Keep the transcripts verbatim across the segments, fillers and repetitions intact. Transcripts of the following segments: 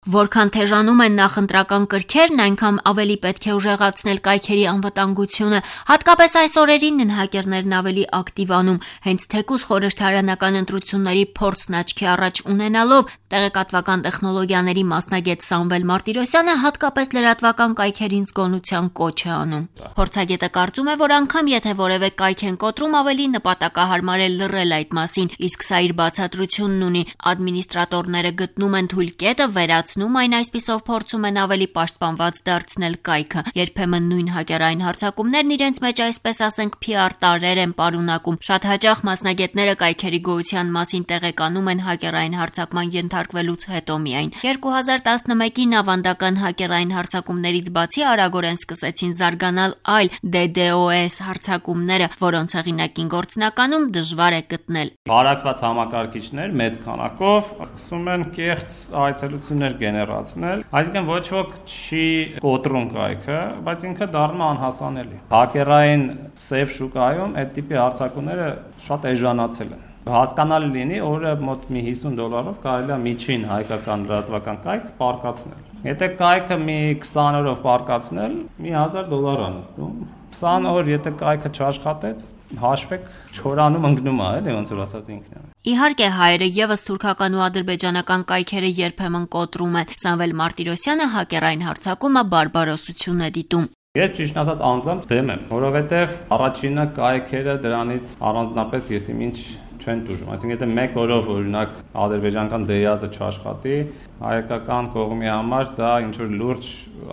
Որքան թեժանում են նախընտրական կրքերն, այնքան ավելի պետք է ուժեղացնել կայքերի անվտանգությունը, հատկապես այս օրերին են հակերներն ավելի ակտիվանում, հենց թեկուզ խորհրդարանական ընտրությունների փորձն աչքի առաջ ունենալով, տեղեկատվական տեխնոլոգիաների մասնագետ Սամվել Մարտիրոսյանը հատկապես լրատվական կայքերին զգոնության կոչ է անում։ Փորձագետը կարծում է, որ անգամ եթե որևէ կայք են կոտրում, ավելի նպատակահարմար է լռել այդ մասին, իսկ սա իր բացատրությունն ունի։ Ադմինիստրատորները գտնում են թույլ կետը, վերացնում այն, այսպիսով փորձում են ավելի պաշտպանված դարձնել կայքը։ Երբեմն նույն հակերային հարձակումներն իրենց մեջ, այսպես ասենք, փի ար տարրեր են պարունակում։ Շատ հաճախ մասնագետները կայքերի գոյության մասին տեղեկանում են հակերային հարձակման ենթարկվելուց հետո միայն։ երկու հազար տասնմեկին ավանդական հակերային հարձակումներից բացի արագորեն սկսեցին զարգանալ այլ դե դե օ էս հարձակումները, որոնց հեղինակին գործնականում դժվար է գտնել։ Բարակված համակարգիչներ մեծ քանակով սկսում են կեղծ այցելություններ գեներացնել, այսինքն ոչ ոք չի կոտրում կայքը, բայց ինքը դառնում է անհասանելի։ Հակերային սև շուկայում այդ տիպի հարձակումները շատ էժանացել են։ Հասկանալի լինի, օրը մոտ մի հիսուն դոլարով կարելի է միջին հայկական լրատվական կայք պարկացնել։ Եթե կայքը մի քսան օրով պարկացնել, մի հազար դոլար է նստում։ քսան օր եթե կայքը չաշխատեց, հաշվեք չորանում ընկնում է, էլի ոնց որ ասած ինքն է։ Իհարկե հայերը եւս թուրքական ու ադրբեջանական կայքերը երբեմն կոտրում են։ Սամվել Մարտիրոսյանը հակերային հարձակումը բարբարոսություն է դիտում։ Ես ճիշտ ասած անձամբ դեմ եմ, որովհետև առաջինը կայքերը դրանից առանձնապես եսի ինչ չեն տուժում, այսինքն եթե մեկ օրով օրինակ ադրբեջանական դեյազը չաշխատի, հայկական կողմի համար դա ինչ որ լուրջ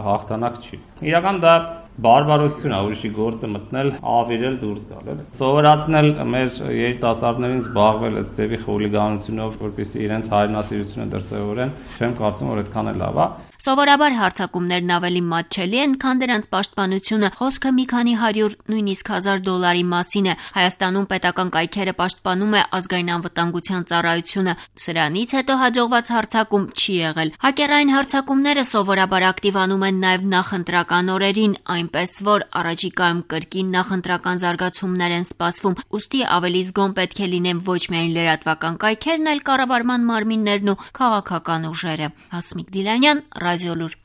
հաղթանակ չի։ Իրական դա բարբարոսություն է, ուրիշի գործը մտնել, ավիրել, դուրս գալ, էլի։ Սովորացնել մեր երիտասարդներին զբաղվել այս ձևի խուլիգանությունով, որպեսզի իրենց հայրենասիրությունը դրսևորեն, չեմ կարծում, որ այդքան է լավ է։ Սովորաբար հարձակումներն ավելի մատչելի են, քան դրանց պաշտպանությունը, խոսքը մի քանի հարյուր, նույնիսկ հազար դոլարի մասին է։ Հայաստանում պետական կայքերը պաշտպանում է ազգային անվտանգության ծառայությունը, սրանից հետո հաջողված հարձակում չի եղել։ Հակերային հարձակումները սովորաբար ակտիվանում են նաև նախընտրական օրերին, այնպես որ առաջիկայում կրկին նախընտրական զարգացումներ են սպասվում, ուստի ավելի զգոն պետք է լինեն ոչ միայն լրատվական կայքերն, այլ կառավարման մարմիններն ու քաղաքական ուժերը։ Հասմիկ Դիլանյան, Ռադիոլուր։